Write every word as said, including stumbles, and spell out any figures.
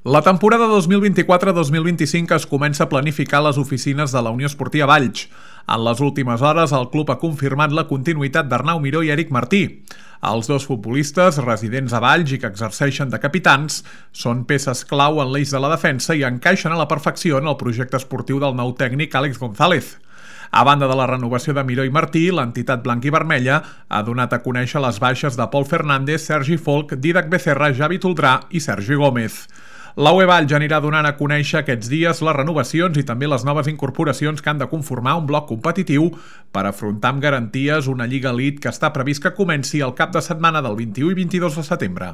La temporada dos mil vint-i-quatre dos mil vint-i-cinc es comença a planificar a les oficines de la Unió Esportiva Valls. En les últimes hores, el club ha confirmat la continuïtat d'Arnau Miró i Eric Martí. Els dos futbolistes, residents a Valls i que exerceixen de capitans, són peces clau en l'eix de la defensa i encaixen a la perfecció en el projecte esportiu del nou tècnic Àlex González. A banda de la renovació de Miró i Martí, l'entitat blanc-i-vermella ha donat a conèixer les baixes de Pol Fernández, Sergi Folch, Dídac Becerra, Javi Toldrà i Sergi Gómez. La U E Valls anirà donant a conèixer aquests dies les renovacions i també les noves incorporacions que han de conformar un bloc competitiu per afrontar amb garanties una Lliga Elite que està previst que comenci el cap de setmana del vint-i-u i vint-i-dos de setembre.